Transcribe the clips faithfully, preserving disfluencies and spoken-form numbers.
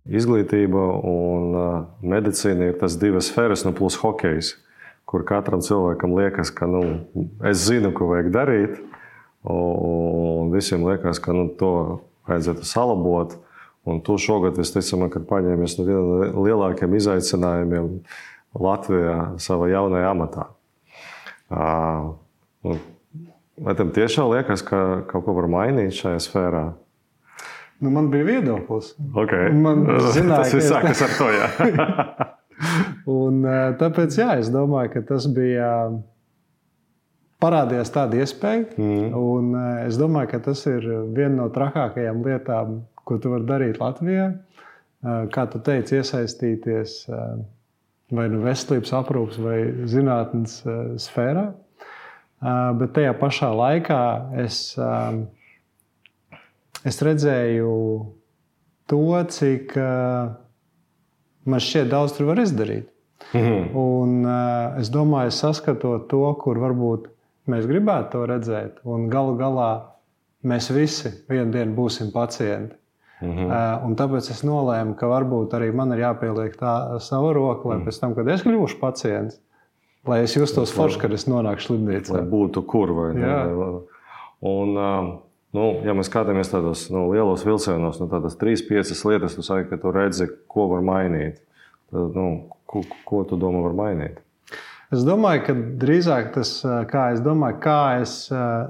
izglītība un medicīna ir tas divas sfēras, nu plus hokejs, kur katram cilvēkam liekas, ka nu, es zinu, ko vajag darīt, un visiem liekas, ka nu, to vajadzētu salabot. Un tu šogad, visticamāk, kad paņēmies no viena no lielākiem izaicinājumiem Latvijā savā jaunajā amatā. Vai tam tiešām liekas, ka kaut ko var mainīt šajā sfērā? Nu, man bija viedoklis. Okay. Man zināja, tas viss sākas ar to, jā. Un tāpēc, jā, es domāju, ka tas bija parādījās tāda iespēja. Mm. Un es domāju, ka tas ir viena no trakākajām lietām, ko tu vari darīt Latvijā. Kā tu teici, iesaistīties vai nu veselības aprūpes vai zinātnes sfērā. Bet tajā pašā laikā es... Es redzēju to, cik uh, man šķiet daudz tur var izdarīt. Mm-hmm. Un uh, es domāju, saskatot to, kur varbūt mēs gribētu to redzēt, un galu galā mēs visi vienu dienu būsim pacienti. Mm-hmm. Uh, un tāpēc es nolēmu, ka varbūt arī man ir jāpieliek tā sava roka, lai mm. pēc tam, kad es kļūšu pacients, lai es justos forši, kad es nonāku slimnīcā. Lai būtu kur vai ne. Un... Uh, Nu, ja mēs skatāmies tādos nu, lielos vilcienos, nu, tādas trīs, piecas lietas, tu saki, ka tu redzi, ko var mainīt. Tad, nu, ko, ko tu domā var mainīt? Es domāju, ka drīzāk tas, kā es domāju, kā es,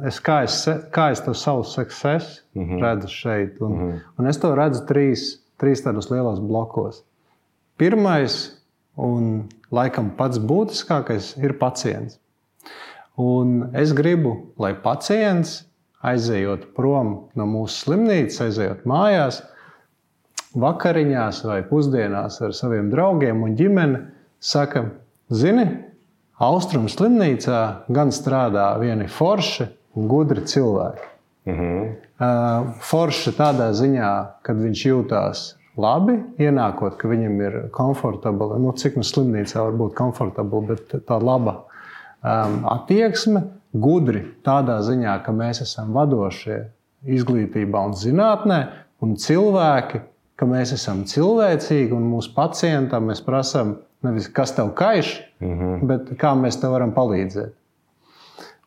es, kā es, kā es to savu success mm-hmm. redzu šeit. Un, mm-hmm. un es to redzu trīs, trīs tādos lielos blokos. Pirmais un laikam pats būtiskākais ir pacients. Un es gribu, lai pacients aizejot prom no mūsu slimnīcas, aizejot mājās, vakariņās vai pusdienās ar saviem draugiem un ģimeni, saka, zini, Austrumu slimnīcā gan strādā vieni forši un gudri cilvēki. Mm-hmm. Forši tādā ziņā, kad viņš jūtās labi, ienākot, ka viņam ir komfortabli, nu cik no slimnīcā var būt komfortabli, bet tā laba um, attieksme, gudri tādā ziņā, ka mēs esam vadošie izglītībā un zinātnē, un cilvēki, ka mēs esam cilvēcīgi, un mūsu pacientam mēs prasam nevis, kas tev kaiš, mm-hmm. bet kā mēs tev varam palīdzēt.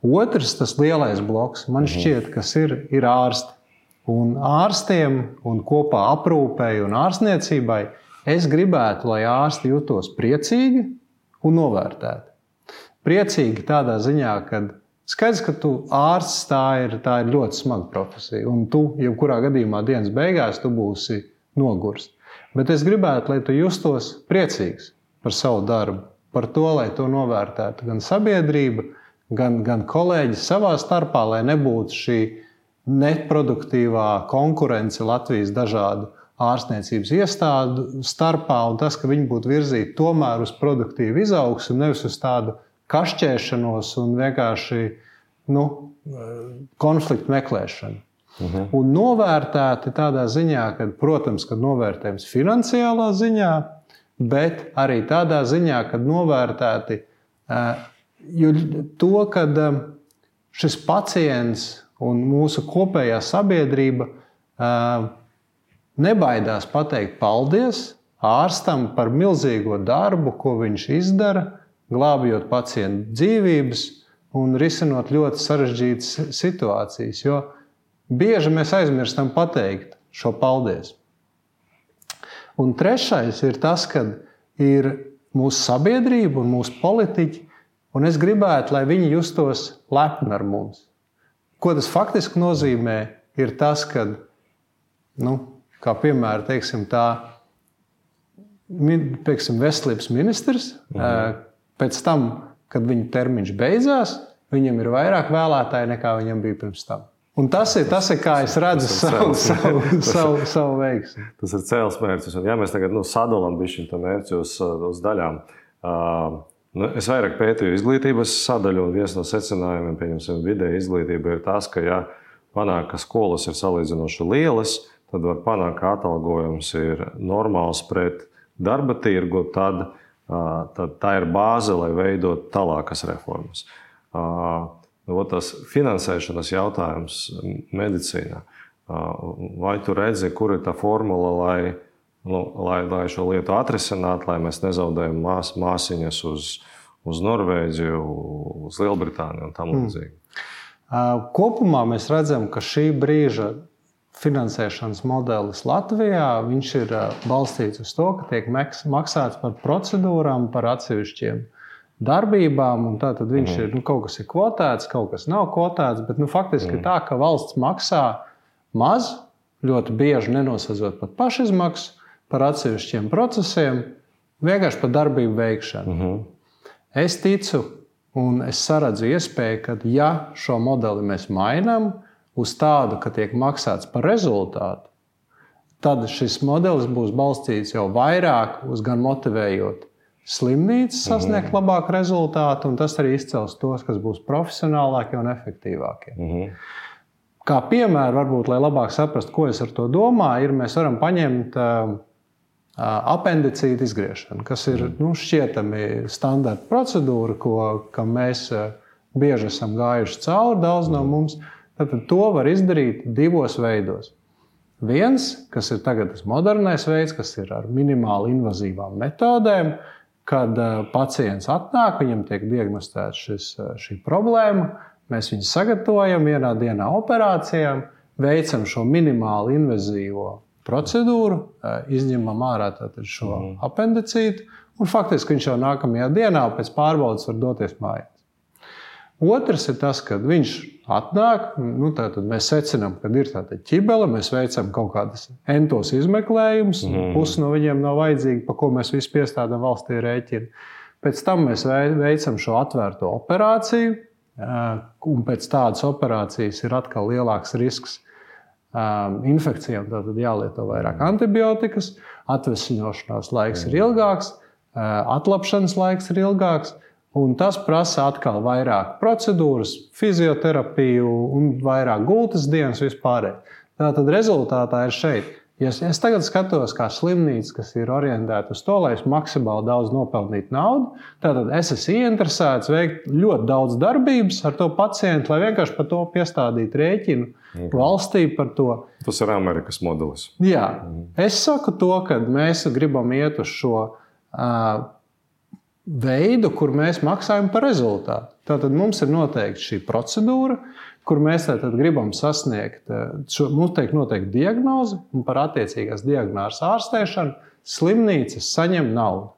Otrs, tas lielais bloks, man mm-hmm. šķiet, kas ir, ir ārsti. Un ārstiem un kopā aprūpēji un ārstniecībai es gribētu, lai ārsti jutos priecīgi un novērtēti. Priecīgi tādā ziņā, kad skaidrs, ka tu ārsts, tā ir, tā ir ļoti smaga profesija, un tu, jebkurā gadījumā dienas beigās, tu būsi nogurs. Bet es gribētu, lai tu justos priecīgs par savu darbu, par to, lai to novērtētu gan sabiedrība, gan, gan kolēģi savā starpā, lai nebūtu šī neproduktīvā konkurence Latvijas dažādu ārstniecības iestādu starpā, un tas, ka viņi būtu virzīti tomēr uz produktīvu izaugsmu, nevis uz tādu kašķēšanos un vienkārši nu, konfliktu meklēšanu. Uh-huh. Un novērtēti tādā ziņā, ka, protams, kad novērtējums finansiālā ziņā, bet arī tādā ziņā, kad novērtēti jo to, kad šis pacients un mūsu kopējā sabiedrība nebaidās pateikt paldies ārstam par milzīgo darbu, ko viņš izdara, glābjot pacientu dzīvības un risinot ļoti sarežģītas situācijas, jo bieži mēs aizmirstam pateikt šo paldies. Un trešais ir tas, kad ir mūsu sabiedrība un mūsu politiķi, un es gribētu, lai viņi justos lepni ar mums. Ko tas faktiski nozīmē, ir tas, kad, nu, kā piemēram, teiksim, tā, teiksim, veselības ministrs, mhm. pēc tam, kad viņa termiņš beidzās, viņam ir vairāk vēlētāji nekā viņam bija pirms tam. Un tas ir, tas ir kā es redzu savu, savu, savu, savu veiksmi. Tas ir cēls mērķis. Un ja mēs tagad nu, sadalām bišķiņ to mērķi uz, uz daļām. Uh, nu, es vairāk pētīju izglītības sadaļu, un viens no secinājumiem, pieņemsim, vidēja izglītība ir tas, ka ja panāk, ka skolas ir salīdzinoši lielas, tad var panākt, ka atalgojums ir normāls pret darba tirgu, tad tad tā ir bāze, lai veidot tālākas reformas. Tas finansēšanas jautājums medicīnā. Vai tu redzi, kur ir tā formula, lai nu, lai, lai šo lietu atrisinātu, lai mēs nezaudējam mās, māsiņas uz, uz Norvēģiju, uz Lielbritāniju un tam līdzīgi? Mm. Kopumā mēs redzam, ka šī brīža finansēšanas modelis Latvijā viņš ir balstīts uz to, ka tiek maksāts par procedūrām, par atsevišķiem darbībām, un tātad viņš mm. ir, nu, kaut kas ir kvotēts, kaut kas nav kvotēts, bet nu, faktiski mm. tā, ka valsts maksā maz, ļoti bieži nenosadzot pat pašizmaksu par atsevišķiem procesiem, vienkārši par darbību veikšanu. Mm-hmm. Es ticu un es saredzu iespēju, ka ja šo modeli mēs mainām uz tādu, ka tiek maksāts par rezultātu, tad šis modelis būs balstīts jau vairāk uz gan motivējot slimnīcas sasniegt mm-hmm. labāku rezultātu, un tas arī izcels tos, kas būs profesionālākie un efektīvākie. Mm-hmm. Kā piemēru, varbūt, lai labāk saprastu, ko es ar to domāju, ir, mēs varam paņemt uh, apendicītu izgriešanu, kas ir nu, šķietami standarta procedūra, ko, kam mēs uh, bieži esam gājuši cauri, daudz no mums. Tad to var izdarīt divos veidos. Viens, kas ir tagad tas modernais veids, kas ir ar minimāli invazīvām metodēm, kad pacients atnāk, viņam tiek diagnostēts šis, šī problēma, mēs viņu sagatavojam vienā dienā operācijām, veicam šo minimāli invazīvo procedūru, izņemam ārā tātad šo mm. apendicītu, un faktiski viņš jau nākamajā dienā pēc pārbaudes var doties mājās. Otrs ir tas, kad viņš atnāk, nu, tātad mēs secinām, kad ir tāda ķibele, mēs veicam kaut kādas entos izmeklējumus, mm. pusi no viņiem nav vajadzīgi, pa ko mēs visu piestādām valstī rēķinu. Pēc tam mēs veicam šo atvērto operāciju, un pēc tādas operācijas ir atkal lielāks risks infekcijām, tātad jālieto vairāk antibiotikas, atvesļošanās laiks ir ilgāks, atlapšanas laiks ir ilgāks, un tas prasa atkal vairāk procedūras, fizioterapiju un vairāk gultas dienas vispārēj. Tātad rezultātā ir šeit. Ja es tagad skatos kā slimnīca, kas ir orientēta uz to, lai es maksimāli daudz nopelnītu naudu, tātad es esmu ieinteresēts veikt ļoti daudz darbības ar to pacientu, lai vienkārši par to piestādītu rēķinu okay. valstī par to. Tas ir Amerikas modelis. Jā. Mm. Es saku to, ka mēs gribam iet uz šo uh, veidu, kur mēs maksājam par rezultātu. Tātad mums ir noteikti šī procedūra, kur mēs tātad gribam sasniegt, šo, mums tiek noteikti diagnoze, un par attiecīgās diagnozes ārstēšanu slimnīcas saņem naudu.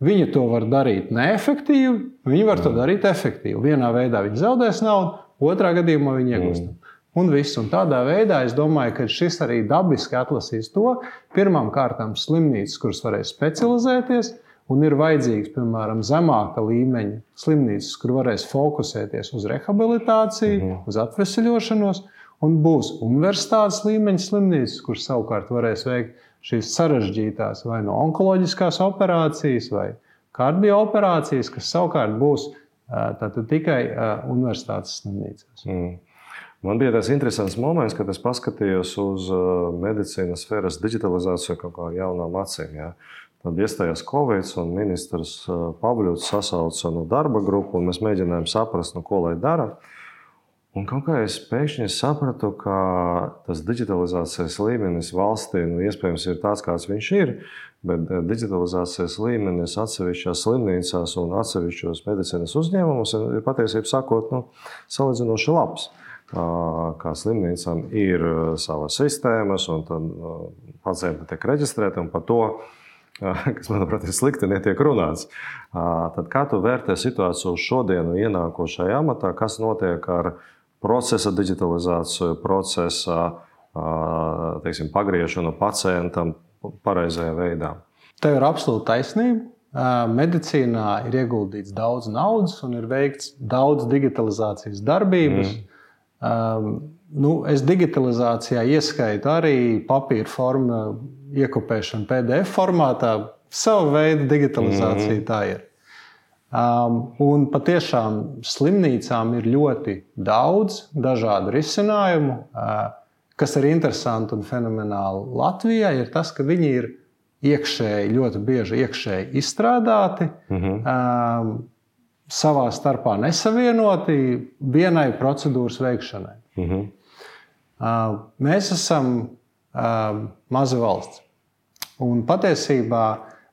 Viņi to var darīt neefektīvi, viņi var to darīt efektīvi. Vienā veidā viņi zaudēs naudu, otrā gadījumā viņi iegūst. Mm. Un viss. Un tādā veidā es domāju, ka šis arī dabiski atlasīs to, pirmām kārtām slimnīcas, kuras varēs specializēties, un ir vajadzīgs, piemēram, zemāka līmeņa slimnīcas, kur varēs fokusēties uz rehabilitāciju, mm-hmm. uz atvesļošanos, un būs universitātes līmeņa slimnīcas, kur savukārt varēs veikt šīs sarežģītās vai no onkoloģiskās operācijas vai kardiooperācijas, kas savukārt būs tātad tikai universitātes slimnīcās. Mm. Man bija tas interesants moments, kad es paskatījos uz medicīnas sfēras digitalizāciju kaut kā jaunām acīm. Ja? Tad iestājās Covid, un ministrs Pavļuts sasauca no darba grupu, un mēs mēģinājām saprast, no ko lai dara. Un kaut kā es pēkšņi sapratu, ka tas digitalizācijas līmenis valstī, nu, iespējams, ir tāds, kāds viņš ir, bet digitalizācijas līmenis atsevišķās slimnīcās un atsevišķos medicīnas uzņēmumus ir patiesībā sakot, nu, salīdzinoši labs. Kā slimnīcām ir savas sistēmas, un tad pacienti tiek reģistrēti, un par to, kas, manuprāt, ir slikti, netiek runāts. Tad kā tu vērtē situāciju uz šodienu ienākošajā amatā, kas notiek ar procesa digitalizāciju, procesa, teiksim, pagriešanu pacientam pareizajā veidā? Tev ir absolūta taisnība. Medicīnā ir ieguldīts daudz naudas un ir veikts daudz digitalizācijas darbības. Mm. Um, nu, es digitalizācijā ieskaitu arī papīra formu iekopēšanu P D F formātā. Sava veida digitalizācija mm-hmm. tā ir. Um, un patiešām slimnīcām ir ļoti daudz dažādu risinājumu. Uh, kas ir interesanti un fenomenāli Latvijā, ir tas, ka viņi ir iekšēji, ļoti bieži iekšēji izstrādāti. Mm-hmm. Um, savā starpā nesavienoti vienai procedūras veikšanai. Mm-hmm. Mēs esam maza valsts. Un patiesībā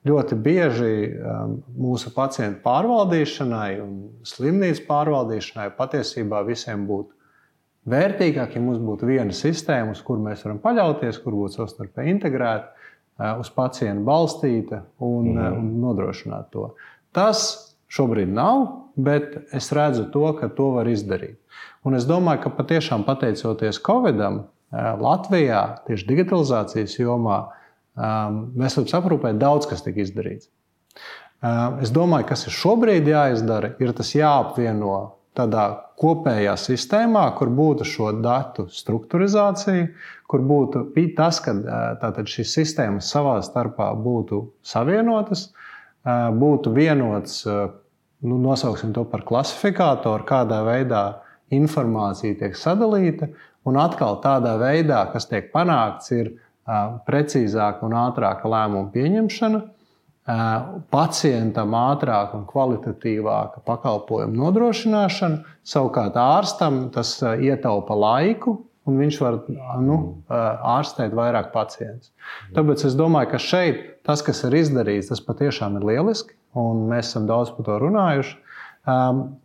ļoti bieži um, mūsu pacientu pārvaldīšanai un slimnīcu pārvaldīšanai patiesībā visiem būtu vērtīgāk, ja mums būtu viena sistēma, uz kuru mēs varam paļauties, kur būtu savstarpēji integrēta, uh, uz pacientu balstīta un, mm. uh, un nodrošināt to. Tas šobrīd nav, bet es redzu to, ka to var izdarīt. Un es domāju, ka patiešām pateicoties Covidam, uh, Latvijā tieši digitalizācijas jomā Um, veselības aprūpē daudz kas tika izdarīts. Um, es domāju, kas ir šobrīd jāizdara, ir tas jāapvieno tādā kopējā sistēmā, kur būtu šo datu strukturizācija, kur būtu tas, ka tātad šīs sistēmas savā starpā būtu savienotas, būtu vienots, nu, nosauksim to par klasifikātoru, kādā veidā informācija tiek sadalīta, un atkal tādā veidā, kas tiek panākts, ir precīzāka un ātrāka lēmuma pieņemšana, pacientam ātrāka un kvalitatīvāka pakalpojuma nodrošināšana, savukārt ārstam tas ietaupa laiku, un viņš var nu, ārstēt vairāk pacientus. Tāpēc es domāju, ka šeit tas, kas ir izdarīts, tas patiešām ir lieliski, un mēs esam daudz par to runājuši.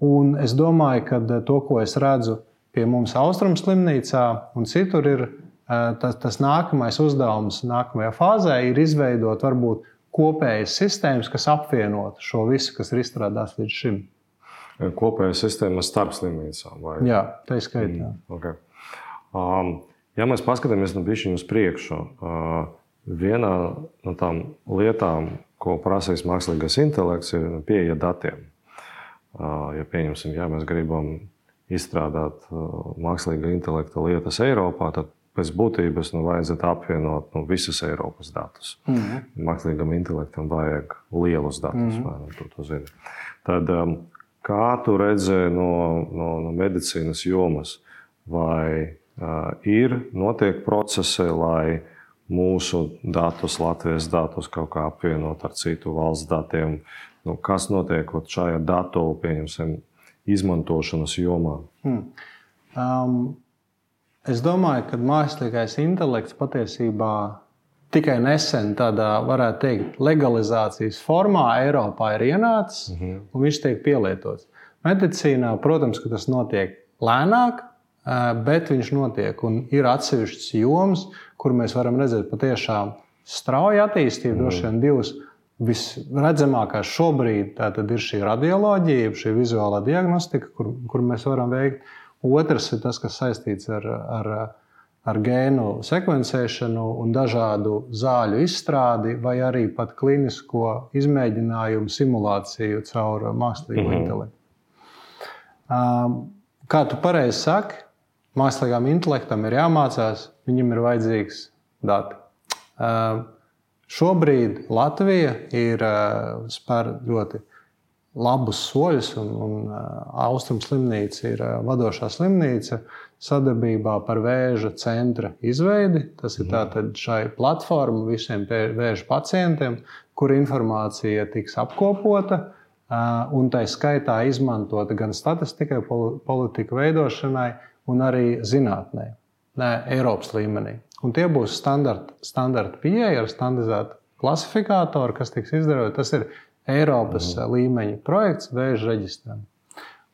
Un es domāju, ka to, ko es redzu pie mums Austrumu slimnīcā un citur, ir Tas, tas nākamais uzdevums nākamajā fāzē ir izveidot varbūt kopējas sistēmas, kas apvienot šo visu, kas ir izstrādāts līdz šim. Kopējas sistēmas starp slimnīcām? Vai? Jā, tā ir skaitā. Mm, okay. um, ja mēs paskatāmies nu bišķiņu uz priekšu, uh, vienā no tām lietām, ko prasīs mākslīgais intelekts, ir pieeja datiem. Uh, ja pieņemsim, ja mēs gribam izstrādāt uh, mākslīga intelekta lietas Eiropā, tad pēc būtības nu, vajadzētu apvienot nu, visus Eiropas datus. Mm-hmm. Mākslīgam intelektam vajag lielus datus. Mm-hmm. Vai, nu, tu to zini. Tad, um, kā tu redzēji no, no, no medicīnas jomas, vai uh, ir notiek procesi, lai mūsu datus, Latvijas datus kaut kā apvienot ar citu valsts datiem? Nu, kas notiek šajā datu, pieņemsim, izmantošanas jomā? Mm. Um... Es domāju, ka mākslīgais intelekts patiesībā tikai nesen tādā, varētu teikt, legalizācijas formā Eiropā ir ienācis, mm-hmm. un viņš tiek pielietots. Medicīnā, protams, ka tas notiek lēnāk, bet viņš notiek, un ir atsevišķas jomas, kur mēs varam redzēt patiešām strauju attīstību, mm-hmm. droši vien divas visredzamākās šobrīd, tātad ir šī radioloģija, šī vizuālā diagnostika, kur, kur mēs varam veikt. Otrs ir tas, kas saistīts ar, ar, ar gēnu sekvencēšanu un dažādu zāļu izstrādi, vai arī pat klinisko izmēģinājumu simulāciju caur mākslīgo mm-hmm. intelektu. Um, kā tu pareizi saki, mākslīgām intelektam ir jāmācās, viņam ir vajadzīgs dati. Um, šobrīd Latvija ir uh, spēr ļoti labus soļus, un, un Austrumu slimnīca ir vadošā slimnīca sadarbībā par vēža centra izveidi. Tas ir tātad šai platforma visiem vēža pacientiem, kur informācija tiks apkopota un tai skaitā izmantota gan statistikai, politiku veidošanai un arī zinātnē, ne, Eiropas līmenī. Un tie būs standarta, standarta pieeja ar standardizētu klasifikātoru, kas tiks izdarot. Tas ir Eiropas mm. līmeņa projekts vēža reģistram.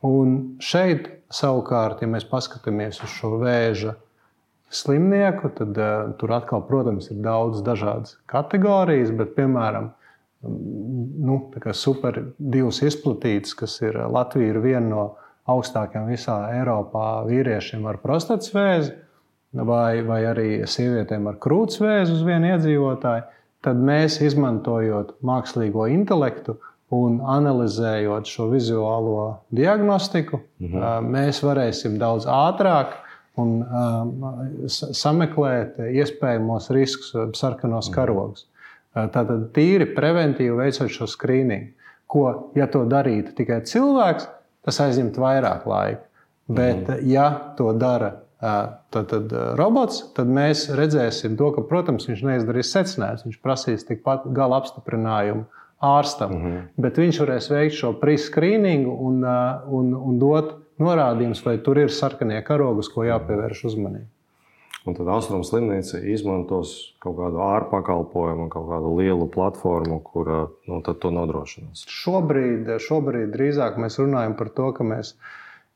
Un šeit savukārt, ja mēs paskatāmies uz šo vēža slimnieku, tad uh, tur atkal, protams, ir daudz dažādas kategorijas, bet, piemēram, nu, tā kā super divas izplatītas, kas ir Latvija ir viena no augstākajām visā Eiropā vīriešiem ar prostatas vēzi, vai, vai arī sievietēm ar krūts vēzi uz vienu iedzīvotāju. Tad mēs, izmantojot mākslīgo intelektu un analizējot šo vizuālo diagnostiku, mm-hmm. mēs varēsim daudz ātrāk un um, sameklēt iespējamos riskus, sarkanos mm-hmm. karogus. Tātad tīri preventīvi veicot šo skrīningu, ko, ja to darītu tikai cilvēks, tas aizņemt vairāk laika. Bet, mm-hmm. ja to dara Tad, tad robots, tad mēs redzēsim to, ka, protams, viņš neizdarīs secinājumus. Viņš prasīs tikpat gala apstiprinājumu ārstam, mm-hmm. bet viņš varēs veikt šo pre-screeningu un, un, un dot norādījumus, vai tur ir sarkanie karogi, uz ko jāpievērš uzmanību. Un tad Austrumu slimnīca izmantos kaut kādu ārpakalpojumu, kaut kādu lielu platformu, kura nu, tad to nodrošinās. Šobrīd, šobrīd drīzāk mēs runājam par to, ka mēs,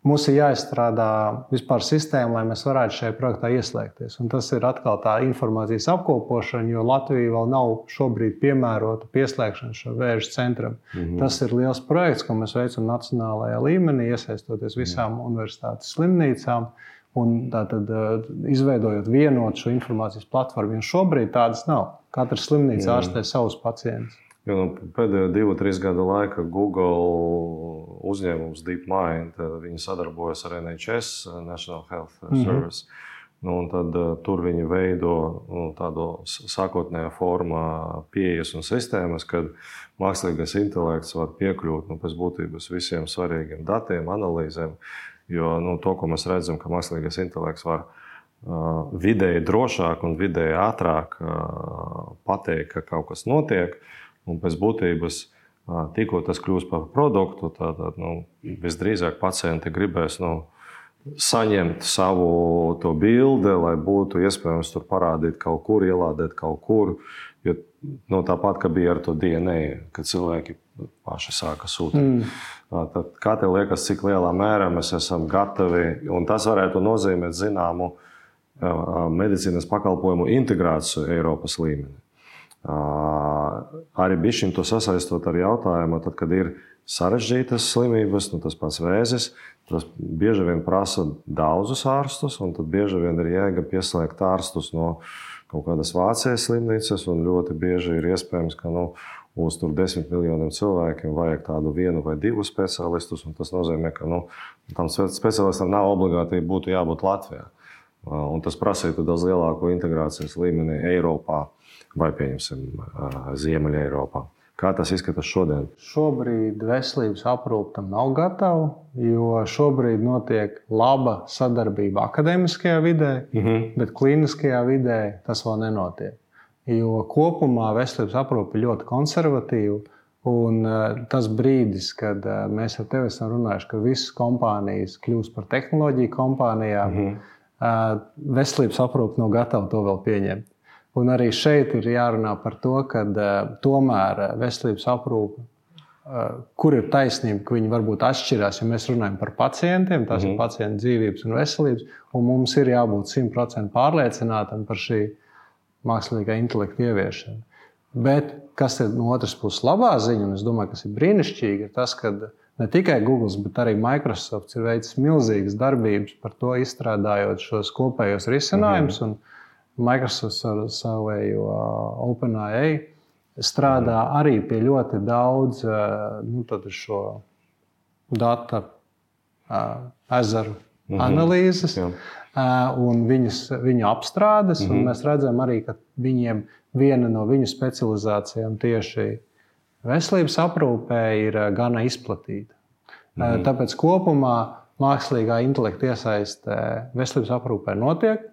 mums ir jāizstrādā vispār sistēma, lai mēs varētu šajā projektā ieslēgties. Un tas ir atkal tā informācijas apkopošana, jo Latvija vēl nav šobrīd piemērota pieslēgšana šo vēža centram. Mm-hmm. Tas ir liels projekts, ko mēs veicam nacionālajā līmenī, iesaistoties visām mm-hmm. universitātes slimnīcām. Un tātad izveidojot vienotu šo informācijas platformu, jo šobrīd tādas nav. Katra slimnīca ārstē savus pacientus. Jo, nu, pēdējo divu, trīs gadu laikā Google uzņēmums DeepMind, viņi sadarbojas ar N H S, National Health Service. Mm-hmm. Nu, un tad uh, tur viņi veido nu, tādu sākotnējā formā pieejas un sistēmas, kad mākslīgais intelekts var piekļūt nu, pēc būtības visiem svarīgiem datiem, analīzēm. Jo nu, to, ko mēs redzam, ka mākslīgais intelekts var uh, vidēji drošāk un vidēji ātrāk uh, pateikt, ka kaut kas notiek, un pēc būtības uh, tikko tas kļūst par produktu, tad nu, visdrīzāk pacienti gribēs nu, saņemt savu to bildi, lai būtu iespējams tur parādīt kaut kur, ielādēt kaut kur. Jo, nu, tāpat, kā bija ar to D N A, kad cilvēki paši sāka sūtīt. Mm. Tad kā tev liekas, cik lielā mērā mēs esam gatavi, un tas varētu nozīmēt zināmu medicīnas pakalpojumu integrāciju Eiropas līmenī. Arī bišķiņ to sasaistot ar jautājumu, tad, kad ir sarežģītas slimības, nu, tas pats vēzis, tas bieži vien prasa daudzus ārstus, un tad bieži vien ir jēga pieslēgt ārstus no kaut kādas Vācijas slimnīcas, un ļoti bieži ir iespējams, ka nu, uz tur desmit miljoniem cilvēkiem vajag tādu vienu vai divu speciālistus, un tas nozīmē, ka nu, tam speciālistam nav obligāti būtu jābūt Latvijā. Un tas prasītu daudz lielāku integrācijas līmeni Eiropā vai, pieņemsim, Ziemeļa Eiropā. Kā tas izskatās šodien? Šobrīd veselības aprūpe tam nav gatava, jo šobrīd notiek laba sadarbība akadēmiskajā vidē, mm-hmm. bet klīniskajā vidē tas vēl nenotiek. Jo kopumā veselības aprūpe ir ļoti konservatīva, un tas brīdis, kad mēs ar tevi esam runājuši, ka visas kompānijas kļūst par tehnoloģiju kompānijām, mm-hmm. veselības aprūpe nav gatava to vēl pieņemt. Un arī šeit ir jārunā par to, ka tomēr veselības aprūpe, kur ir taisnība, ka viņi varbūt atšķirās, ja mēs runājam par pacientiem, tās mm-hmm. ir pacientu dzīvības un veselības, un mums ir jābūt simt procenti pārliecinātam par šī mākslīgā intelekta ieviešanu. Bet, kas ir no otras puses labā ziņa, un es domāju, kas ir brīnišķīgi, ir tas, ka ne tikai Google, bet arī Microsoft ir veicis milzīgas darbības par to, izstrādājot šos kopējos risinājumus, mm-hmm. un Microsoft ar savējo OpenAI strādā mm-hmm. arī pie ļoti daudz nu, šo data ezeru mm-hmm. analīzes. Jā. Un viņas, viņu apstrādes, mm-hmm. un mēs redzam arī, ka viņiem viena no viņu specializācijām tieši veselības aprūpē ir gana izplatīta. Mm-hmm. Tāpēc kopumā mākslīgā intelekta iesaiste veselības aprūpē notiek.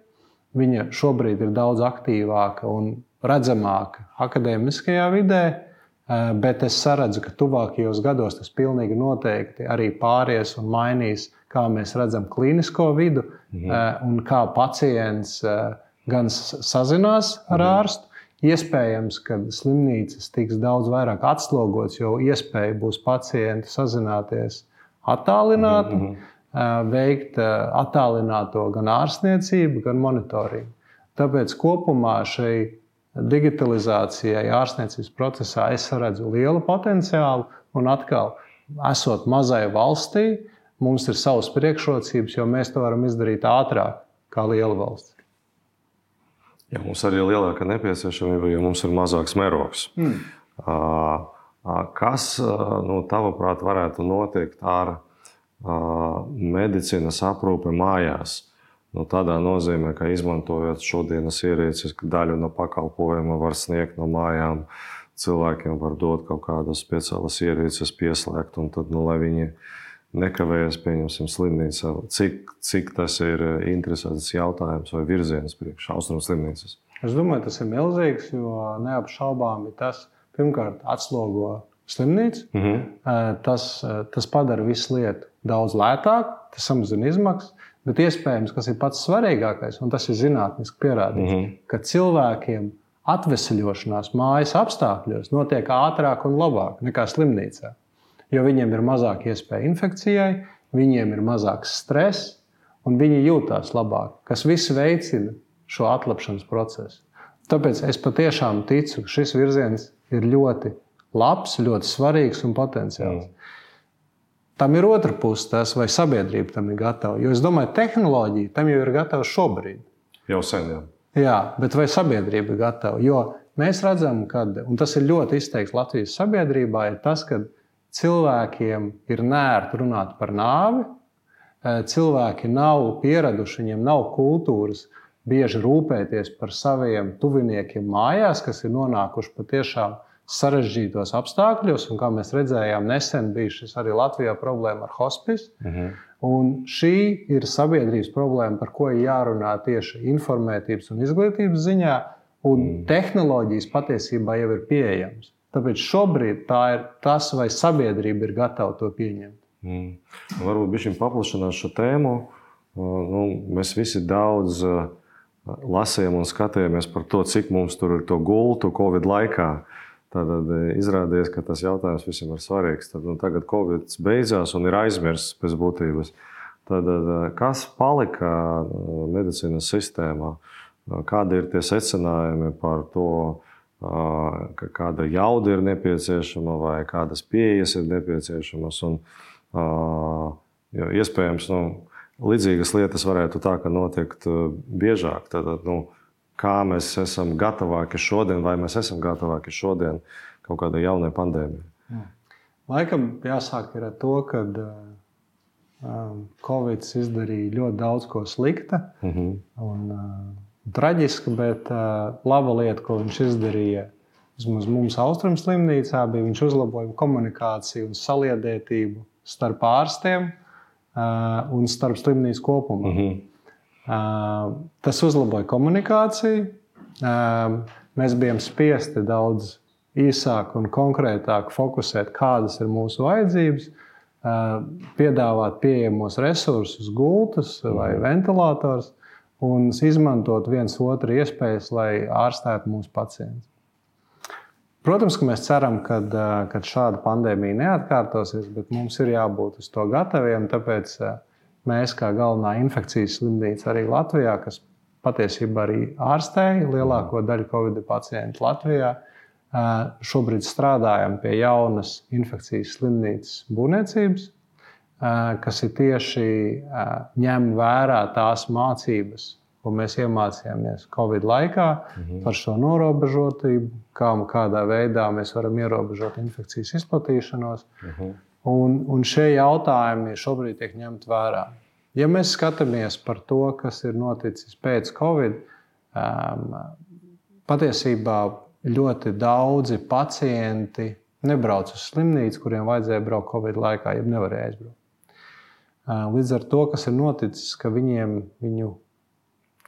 Viņa šobrīd ir daudz aktīvāka un redzamāka akadēmiskajā vidē, bet es saredzu, ka tuvākajos gados tas pilnīgi noteikti arī pāries un mainīs, kā mēs redzam klīnisko vidu, mm-hmm. un kā pacients gan sazinās ar mm-hmm. ārstu. Iespējams, ka slimnīcas tiks daudz vairāk atslogots, jo iespēja būs pacienti sazināties attālināti, mm-hmm. veikt attālināto gan ārstniecību, gan monitoringu. Tāpēc kopumā šai digitalizācijai ārstniecības procesā es redzu lielu potenciālu, un atkal, esot mazai valstī, mums ir savas priekšrocības, jo mēs to varam izdarīt ātrāk kā liela valsts. Jā, mums arī ir lielāka nepieciešamība, jo mums ir mazāks mērogs. Mm. Kas, nu, tavuprāt, varētu notikt ar medicīnas aprūpe mājās? Nu, tādā nozīmē, ka izmantojot šodienas ierīces, daļu no pakalpojuma var sniegt no mājām, cilvēkiem var dot kaut kādas speciālas ierīces pieslēgt, un tad, nu, lai viņi nekavējas, pieņemsim, slimnīcā. Cik, cik tas ir interesants jautājums vai virziens priekš Austrumu slimnīcas? Es domāju, tas ir milzīgs, jo neapšaubāmi tas, pirmkārt, atslogo slimnīcu. Mm-hmm. Tas, tas padara visu lietu daudz lētāk, tas samazina izmaksas. Bet iespējams, kas ir pats svarīgākais, un tas ir zinātniski pierādīts, mm-hmm. ka cilvēkiem atveseļošanās mājas apstākļos notiek ātrāk un labāk nekā slimnīcā. Jo viņiem ir mazāk iespēja infekcijai, viņiem ir mazāks stress, un viņi jūtās labāk, kas viss veicina šo atlapšanas procesu. Tāpēc es patiešām ticu, ka šis virziens ir ļoti labs, ļoti svarīgs un potenciāls. Mm. Tam ir otra puse, tas, vai sabiedrība tam ir gatava. Jo es domāju, tehnoloģija tam jau ir gatava šobrīd. Jau sen, jā. Jā, bet vai sabiedrība ir gatava? Jo mēs redzam, ka, un tas ir ļoti izteikts Latvijas sabiedrībā, ir tas, ka cilvēkiem ir nērti runāt par nāvi, cilvēki nav pieraduši, viņiem nav kultūras bieži rūpēties par saviem tuviniekiem mājās, kas ir nonākuši patiešām sarežģītos apstākļos, un kā mēs redzējām, nesen bija šis arī Latvijā problēma ar hospice. Uh-huh. Un šī ir sabiedrības problēma, par ko ir jārunā tieši informētības un izglītības ziņā, un mm. tehnoloģijas patiesībā jau ir pieejamas. Tāpēc šobrīd tā ir tas, vai sabiedrība ir gatava to pieņemt. Mm. Varbūt bišķiņ paplašināt šo tēmu. Nu, mēs visi daudz lasījām un skatījāmies par to, cik mums tur ir to gultu Covid laikā. Tad izrādījās, ka tas jautājums visiem ir svarīgs. Tad, nu, tagad Covid beidzās un ir aizmirsts pēc būtības. Tad, kas palika medicīnas sistēmā? Kādi ir tie secinājumi par to, ka kāda jauda ir nepieciešama vai kādas pieejas ir nepieciešamas? Un, jo, iespējams, nu, līdzīgas lietas varētu tā, ka notiekt biežāk. Tad, nu, kā mēs esam gatavāki šodien, vai mēs esam gatavāki šodien kaut kādai jaunai pandēmijai? Laikam jāsāk ir ar to, ka um, Covid izdarīja ļoti daudz ko slikta uh-huh. un uh, traģiska, bet uh, laba lieta, ko viņš izdarīja vismaz mums Austrumu slimnīcā, bija viņš uzlaboja komunikāciju un saliedētību starp ārstiem uh, un starp slimnīcu kopumā. Uh-huh. Uh, tas uzlaboja komunikāciju. Uh, mēs bijām spiesti daudz īsāk un konkrētāk fokusēt, kādas ir mūsu vajadzības, uh, piedāvāt pieejamos resursus, gultas vai ventilators un izmantot viens otru iespējas, lai ārstētu mūsu pacientus. Protams, ka mēs ceram, ka uh, šāda pandēmija neatkārtosies, bet mums ir jābūt uz to gataviem, tāpēc uh, mēs, kā galvenā infekcijas slimnīca arī Latvijā, kas patiesībā arī ārstēja lielāko daļu Covid pacientu Latvijā, šobrīd strādājam pie jaunas infekcijas slimnīcas būvniecības, kas ir tieši ņem vērā tās mācības, ko mēs iemācījāmies Covid laikā mhm. par šo norobežotību, kā un kādā veidā mēs varam ierobežot infekcijas izplatīšanos. Mhm. Un, un šie jautājumi šobrīd tiek ņemti vērā. Ja mēs skatāmies par to, kas ir noticis pēc Covid, um, patiesībā ļoti daudzi pacienti nebrauc uz slimnīcu, kuriem vajadzēja braukt Covid laikā, ja nevarēja aizbraukt. Uh, līdz ar to, kas ir noticis, ka viņiem viņu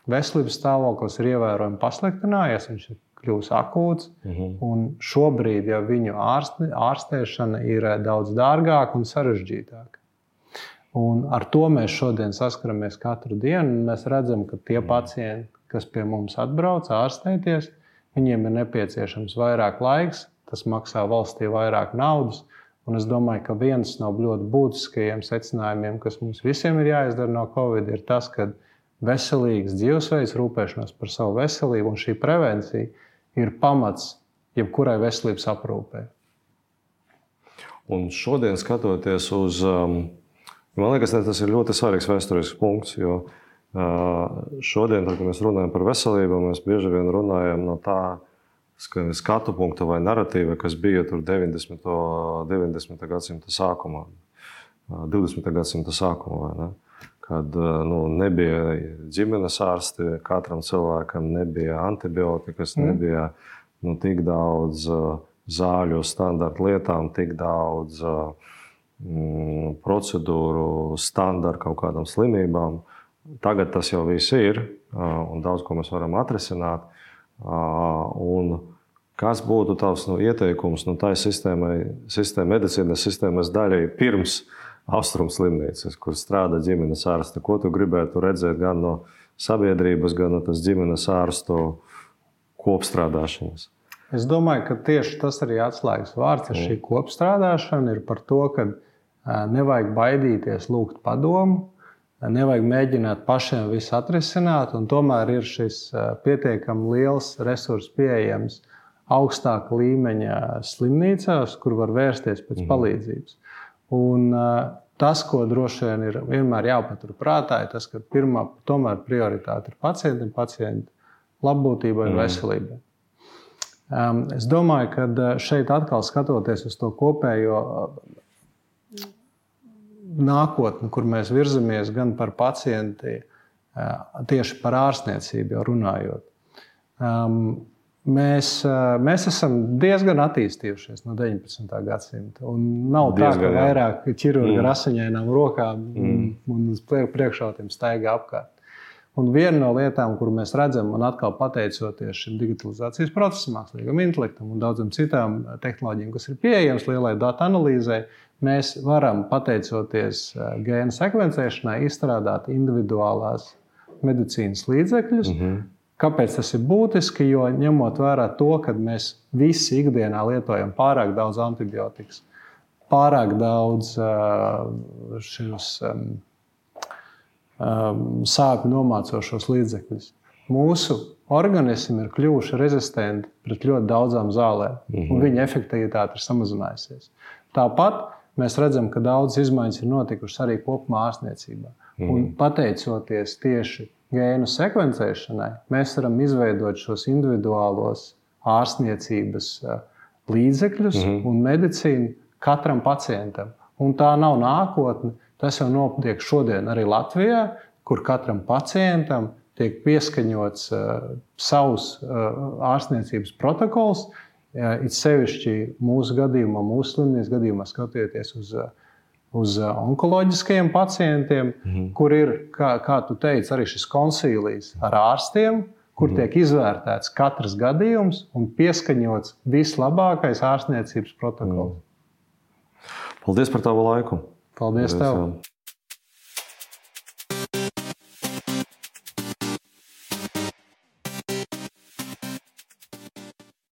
veselības stāvoklis ir ievērojami pasliktinājies, viņš ir kļūst akūts, uh-huh. un šobrīd jau viņu ārste, ārstēšana ir daudz dārgāka un sarežģītāka. Un ar to mēs šodien saskaramies katru dienu, un mēs redzam, ka tie pacienti, kas pie mums atbrauc ārstēties, viņiem ir nepieciešams vairāk laiks, tas maksā valstī vairāk naudas, un es domāju, ka viens no ļoti būtiskajiem secinājumiem, kas mums visiem ir jāizdara no Covid, ir tas, ka veselīgs dzīvesveids, rūpēšanās par savu veselību un šī prevencija ir pamats jebkurai veselības aprūpē. Un šodien skatoties uz, man liekas, tas ir ļoti svarīgs vēsturisks punkts, jo šodien, tad, kad mēs runājam par veselību, mēs bieži vien runājam no tā skatu punkta vai narratīva, kas bija tur deviņdesmitā gadsimta sākumā, divdesmitā gadsimta sākumā, vai ne? Kad nu, nebija ģimenes ārsti, katram cilvēkam nebija antibiotikas, mm. nebija nu, tik daudz uh, zāļu standarta lietām, tik daudz uh, mm, procedūru standarta kaut kādām slimībām. Tagad tas jau viss ir, uh, un daudz ko mēs varam atrisināt. Uh, un kas būtu tavs nu, ieteikums nu, tai sistēmai, sistēma, medicīnas sistēmas daļai pirms Austrumu slimnīcas, kur strādā ģimenes ārste. Ko tu gribētu redzēt gan no sabiedrības, gan no tas ģimenes ārstu kopstrādāšanas? Es domāju, ka tieši tas arī atslēgas vārds ar šī kopstrādāšana ir par to, ka nevajag baidīties lūgt padomu, nevajag mēģināt pašiem visu atrisināt, un tomēr ir šis pietiekami liels resurss pieejams augstāka līmeņa slimnīcās, kur var vērsties pēc palīdzības. Un tas, ko droši vien ir vienmēr jāpatur prātā, ir tas, ka pirmā tomēr prioritāte ir pacientam, pacienta labbūtībai un veselībai. Es domāju, ka šeit atkal skatoties uz to kopējo nākotni, kur mēs virzamies gan par pacienti, tieši par ārstniecību jau runājot. Mēs, mēs esam diezgan attīstījušies no deviņpadsmitā gadsimta. Un nav diezgan, tā, ka vairāk ķirurgi ar asiņainām rokām mm. un uz priekšautiem staigā apkārt. Un viena no lietām, kur mēs redzam, un atkal pateicoties šim digitalizācijas procesam, mākslīgam intelektam un daudzām citām tehnoloģijām, kas ir pieejamas lielai datu analīzei, mēs varam, pateicoties gēnu sekvencēšanai, izstrādāt individuālās medicīnas līdzekļus. Mm-hmm. Kāpēc tas ir būtiski? Jo ņemot vērā to, ka mēs visi ikdienā lietojam pārāk daudz antibiotikas, pārāk daudz šos sāpju nomācošos līdzekļus. Mūsu organismi ir kļuvuši rezistenti pret ļoti daudzām zālēm, mm-hmm. un viņa efektivitāte ir samazinājusies. Tāpat mēs redzam, ka daudz izmaiņas ir notikušas arī kopumā ārstniecībā. Mm-hmm. Un pateicoties tieši gēnu sekvencēšanai, mēs varam izveidot šos individuālos ārstniecības līdzekļus mm-hmm. un medicīnu katram pacientam. Un tā nav nākotne, tas jau notiek šodien arī Latvijā, kur katram pacientam tiek pieskaņots uh, savs uh, ārstniecības protokols, uh, it sevišķi mūsu gadījumā, mūsu slimnīcas gadījumā skatoties uz uh, uz onkoloģiskajiem pacientiem, mm-hmm. kur ir, kā, kā tu teici, arī šis konsīlijs ar ārstiem, kur mm-hmm. tiek izvērtēts katrs gadījums un pieskaņots vislabākais ārstniecības protokols. Mm. Paldies par tavu laiku. Paldies tev.